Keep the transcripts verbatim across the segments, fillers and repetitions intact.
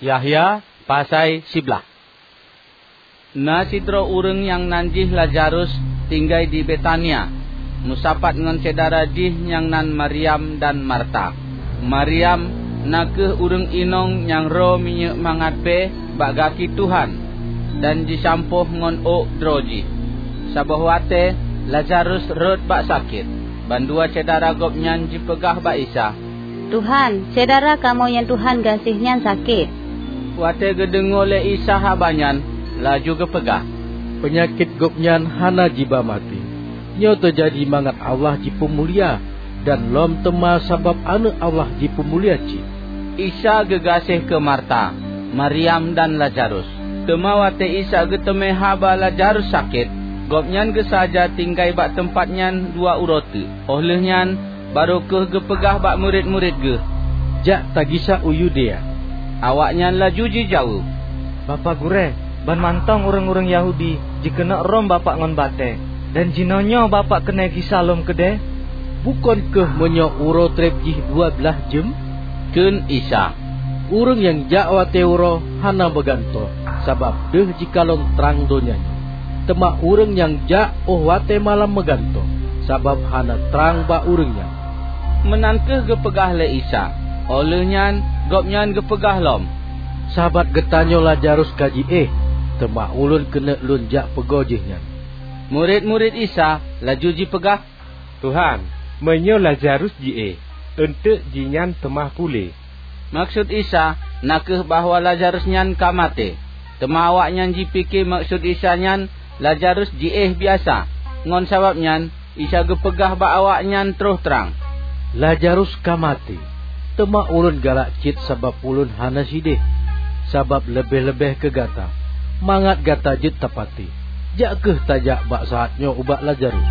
Yahya pasai siblaih. Na sidroe ureuëng nyang nan jih Lazarus tinggai di Betania, meusapat ngon syedara jih nyang nan Maryam dan Marta. Maryam na kheueh ureuëng inong nyang roe minyeuk mangat bée bak gaki Tuhan dan jisampôh ngon ôk droe jih. Saboh watée Lazarus rhot bak sakét, bandua syedara gobnyan jipeugah bak Isa, "Tuhan, syedara kamoe nyang Tuhan gaséh nyan sakét." Watée geudeungoe lé Isa haba nyan, laju geupeugah, "Peunyakét gobnyan hana jiba maté. Nyoe teujadi mangat Allah jipeumulia, dan lom teuma sabab Aneuëk Allah jipeumulia cit." Isa geugaséh keu Marta, Maryam dan Lazarus. Teuma watée Isa geuteumé haba Lazarus sakét, Gobnyan geusaja tinggai bak teumpat nyan dua uroe teuk. Óh lheueh nyan, barô kheueh geupeugah bak murit-murit Geuh, "Jak tagisa u Yudea." Awaknyan laju jijaweueb, "Bapak Gurée, ban mantong ureuëng-ureuëng Yahudi jikeuneuk rhom Bapak ngon batée, dan jinoenyoe Bapak keuneuk gisa lom keudeh? Bukon kheueh meunyoe uroe treb jih dua blaih jeuem?" Kheun Isa, "Ureuëng nyang jak watée uroe hana meugantoh, sabab deuh jikalon trang donya nyoe. Teuma ureuëng nyang jak óh watée malam meugantoh, sabab hana trang bak ureuëng nyan." Meunan kheueh geupeugah lé Isa. Óh lheueh nyan Gobnyan geupeugah lom, "Sabat geutanyoe Lazarus ka jiéh, teuma Ulôn keuneuk Lôn jak peugoe jihnyan." Murit-murit Isa laju jipeugah, "Tuhan, meunyoe Lazarus jiéh, eunteuk jihnyan teuma puléh." Maksud Isa na kheueh bahwa Lazarus nyan ka maté. Teuma awaknyan jipike maksud Isa nyan Lazarus jiéh biasa. Ngon sabab nyan, Isa geupeugah bak awaknyan troh trang, "Lazarus ka maté, teuma Ulôn galak cit sabab Ulôn hana sideh, sabab leubeh-leubeh keu gata, mangat gata jeuet tapatéh. Jak kheueh tajak bak saát nyoe ubak Lazarus."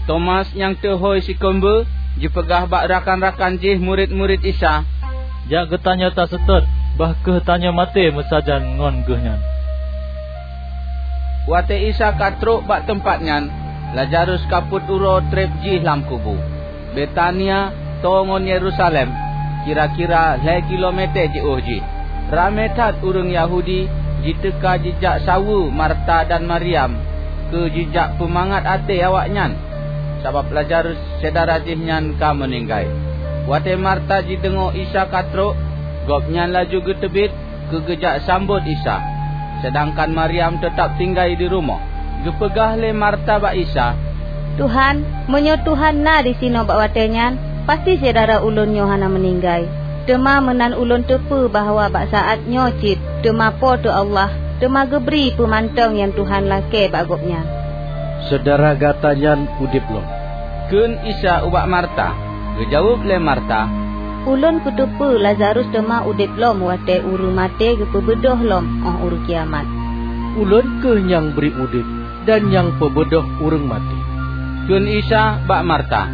Tomas nyang teuhôi sikeumbeue jipeugah bak rakan-rakan jih murit-murit Isa, "Jak geutanyoe taseutôt, bah kheueh tanyoe maté meusajan ngon Geuhnyan." Watée Isa ka trok bak teumpat nyan, Lazarus ka peuet uroe treb jih lam kubu. Betania toe ngon Yerusalem, kira-kira lhée kilomète jiôh jih. Ramé that ureuëng Yahudi jiteuka jijak saweue Marta dan Maryam keu jijak peumangat até awaknyan, sabab Lazarus syedara jih nyan ka meuninggai. Watée Marta jideungoe Isa ka trok, gobnyan laju geuteubiet keu geujak sambot Isa, seudangkan Maryam teutab tinggai di rumoh. Geupeugah lé Marta bak Isa, "Tuhan, meunyoe Tuhan na disinoe bak watée nyan, pasti syedara ulôn nyoe hana meuninggai. Teuma meunan ulôn teupeue bahwa bak saát nyoe cit teuma Po teu Allah teuma geubri peue mantong nyang Tuhan lakée bak gobnyan." "Syedara gata nyan udeb lom," kheun Isa ubak Marta. Geujaweueb lé Marta, "Ulôn kuteupeue Lazarus teuma udeb lom watée ureuëng maté geupeubeudôh lom óh uroe kiamat." "Ulôn kheueh nyang bri udeb dan nyang peubeudôh ureuëng maté," kheun Isa bak Marta.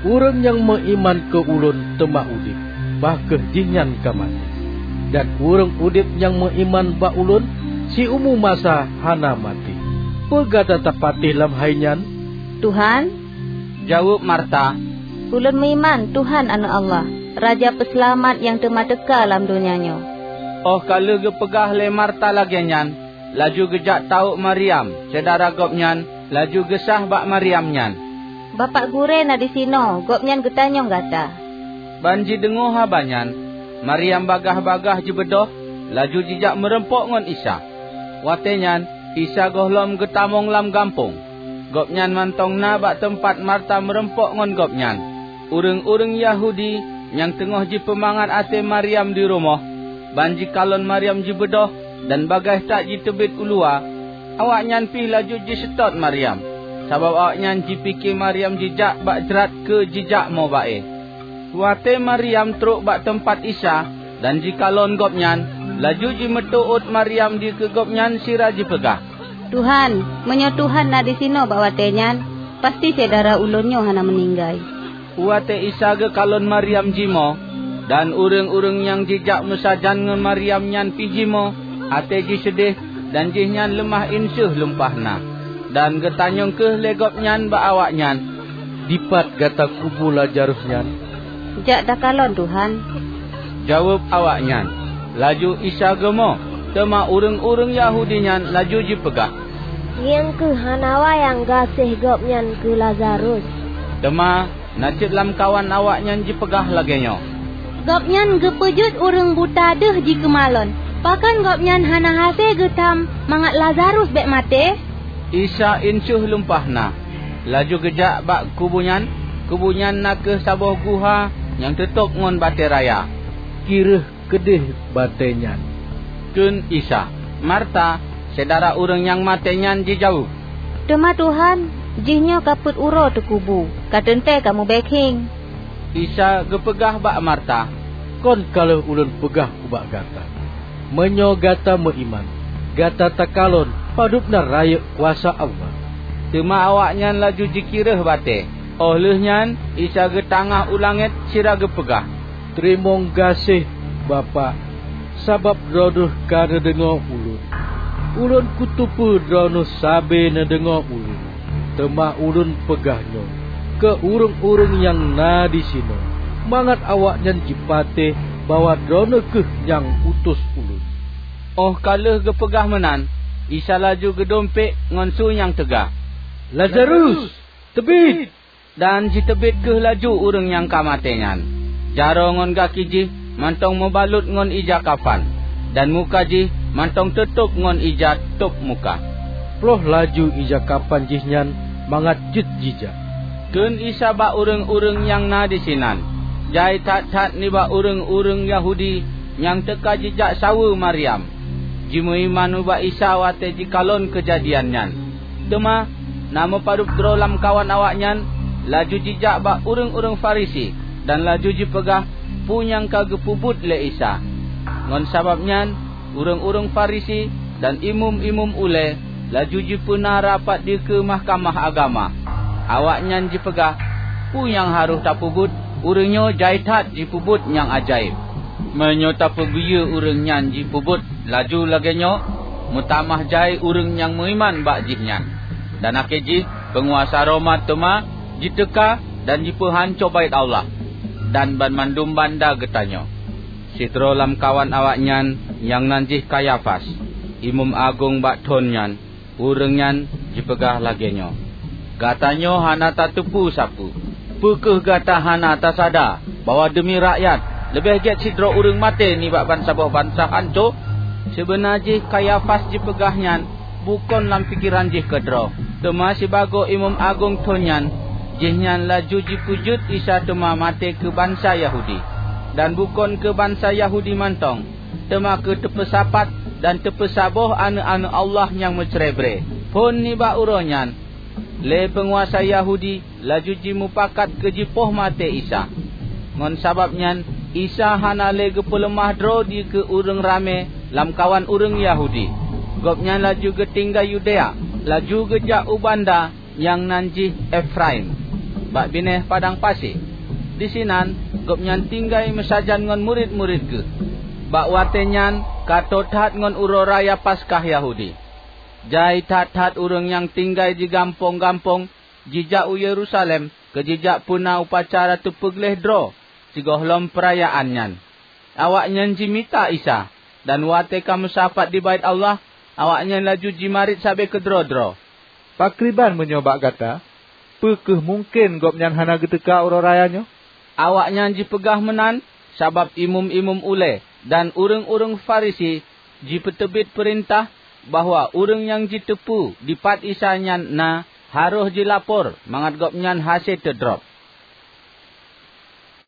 "Ureuëng nyang meuiman keu Ulôn teuma udeb, bah kheueh jihnyan ka maté. Dan ureuëng udeb nyang meuiman bak Ulôn, siumu masa hana maté. Peue gata tapatéh lam hai nyan?" "Tuhan," jaweueb Marta, "ulôn meuiman Tuhan Aneuëk Allah, Raja Peuseulamat nyang teuma teuka lam donya nyoe." Óh ka lheueh geupeugah lé Marta lagée nyan, laju geujak tawök Maryam, syedara gobnyan, laju geusah bak Maryam nyan, "Bapak Gurée na disinoe, Gobnyan geutanyong gata." Ban jideungoe haba nyan, Maryam bagaih-bagaih jibeudôh, laju jijak meurumpok ngon Isa. Watée nyan Isa gohlom geutamong lam gampông. Gobnyan mantong na bak teumpat Marta meurumpok ngon Gobnyan. Ureuëng-ureuëng Yahudi nyang teungoh jipeumangat até Maryam di rumoh, ban jikalon Maryam jibeudôh dan bagaih that jiteubiet u luwa, awaknyan pih laju jiseutôt Maryam, sabab awaknyan jipike Maryam jijak bak jrat keu jijak mo ba-e. Watée Maryam trok bak teumpat Isa dan jikalon Gobnyan, laju jimeuteuôt Maryam dikeue Gobnyan sira jipeugah, "Tuhan, meunyoe Tuhan na disinoe bak watée nyan, pasti syedara ulôn nyoe hana meuninggai." Watée Isa geukalon Maryam jimoe, dan ureuëng-ureuëng nyang jijak meusajan ngon Maryam nyan pih jimoe, até jih seudeh dan jihnyan leumah inseuh lumpah na. Dan geutanyong kheueh lé Gobnyan bak awaknyan, "Dipat gata kubu Lazarus nyan?" "Jak takalon, Tuhan," jaweueb awaknyan. Laju Isa geumoe, teuma ureuëng-ureuëng Yahudi nyan laju jipeugah, "Ngieng kheueh hana wayang gaséh Gobnyan keu Lazarus." Teuma na cit lamkawan awaknyan jipeugah lagée nyoe, "Gobnyan geupeujeuet ureuëng buta deuh jikeumalon. Pakon Gobnyan hana hase geutam mangat Lazarus bék maté?" Isa inseuh lumpah na, laju geujak bak kubu nyan. Kubu nyan na kheueh saboh guha nyang teutôb ngon batée raya. "Kireueh keudeh batée nyan," kheun Isa. Marta, syedara ureuëng nyang maté nyan, jijaweueb, "Teuma Tuhan, jihnyoe ka peuet uroe teukubu, ka teuntée ka mubée khieng." Isa geupeugah bak Marta, "Kon ka lheueh Ulôn peugah ubak gata, meunyoe gata meuiman, gata takalon padub na rayeuk kuasa Allah." Teuma awaknyan laju jikireueh batée. Óh lheueh nyan Isa geutangah u langét sira geupeugah, "Teurimong gaséh, Bapak, sabab Droeneueh ka neudeungoe Ulôn. Ulôn kuteupeue Droeneueh sabe neudeungoe Ulôn, teuma Ulôn peugah nyoe keu ureuëng-ureuëng nyang na disinoe, mangat awaknyan jipatéh bahwa Droeneueh kheueh nyang utus Ulôn." Óh ka lheueh geupeugah meunan, Isa laju geudumpék ngon su nyang teuga, "Lazarus, teubiet!" Dan jiteubiet kheueh laju ureuëng nyang ka maté nyan. Jaroe ngon gaki jih mantong meubalot ngon ija kafan, dan muka jih mantong teutôb ngon ija tôb muka. "Ploh laju ija kafan jihnyan mangat jeuet jijak," kheun Isa bak ureuëng-ureuëng nyang na disinan. Jai that-that nibak ureuëng-ureuëng Yahudi nyang teuka jijak saweue Maryam, jimeuiman ubak Isa watée jikalon keujadian nyan. Teuma na meupadub droe lamkawan awaknyan laju jijak bak ureuëng-ureuëng Farisi dan laju jipeugah peue nyang ka geupeubuet lé Isa. Ngon sabab nyan, ureuëng-ureuëng Farisi dan imeum-imeum ulée laju jipeuna rapat dikeue Mahkamah Agama. Awaknyan jipeugah, "Peue nyang harôh tapeubuet? Ureuëng nyoe jai that jipeubuet nyang ajaéb. Meunyoe tapeubiyeu ureuëng nyan jipeubuet laju lagée nyoe, meutamah jai ureuëng nyang meuiman bak jihnyan." Dan akhé jih peunguasa Roma teuma jiteuka dan jipeuhanco Baét Allah dan banmandum banda geutanyoe. Sidroe lamkawan awaknyan nyang nan jih Kayafas, imeum agong bak thon nyan, ureuëng nyan jipeugah lagée nyoe, "Gata nyoe hana tateupeue sapeue! Peu kheueh gata hana tasada bahwa deumi rakyat leubeh gét sidroe ureuëng maté nibak bansaboh bansa hanco?" Sibeuna jih Kayafas jipeugah nyan bukon lam pikeran jih keudroe, teuma sibagoe imeum agong thon nyan, jihnyan laju jipeujeuet Isa teuma maté keu bansa Yahudi, dan bukon keu bansa Yahudi mantong, teuma keu teupeusapat dan teupeusaboh aneuëk-aneuëk Allah nyang meucrebre. Phon nibak uroe nyan, lé peunguasa Yahudi laju jimupakat keu jipoh maté Isa. Ngon sabab nyan, Isa hana lé geupeuleumah droe dikeue ureuëng ramé lamkawan ureuëng Yahudi. Gobnyan laju geutinggai Yudea, laju geujak u banda nyang nan jih Efraim, bak binéh padang pasi. Disinan Gobnyan tinggai meusajan ngon murit-murit Geuh. Bak watée nyan ka tô that ngon uroe raya Paskah Yahudi. Jai that-that ureuëng nyang tinggai di gampông-gampông jijak u Yerusalem keu jijak peuna upacara teupeugleh droe sigohlom peurayaan nyan. Awaknyan jimita Isa, dan watée ka meusapat di Baét Allah, awaknyan laju jimarit sabe keudroe-droe, "Pakriban meunyoe bak gata? Peu kheueh mungken Gobnyan hana geuteuka uroe raya nyoe?" Awaknyan jipeugah meunan sabab imeum-imeum ulée dan ureuëng-ureuëng Farisi jipeuteubiet peurintah bahwa ureuëng nyang jiteupeue dipat Isa nyan na harôh jilapor mangat gobnyan hase teudrob.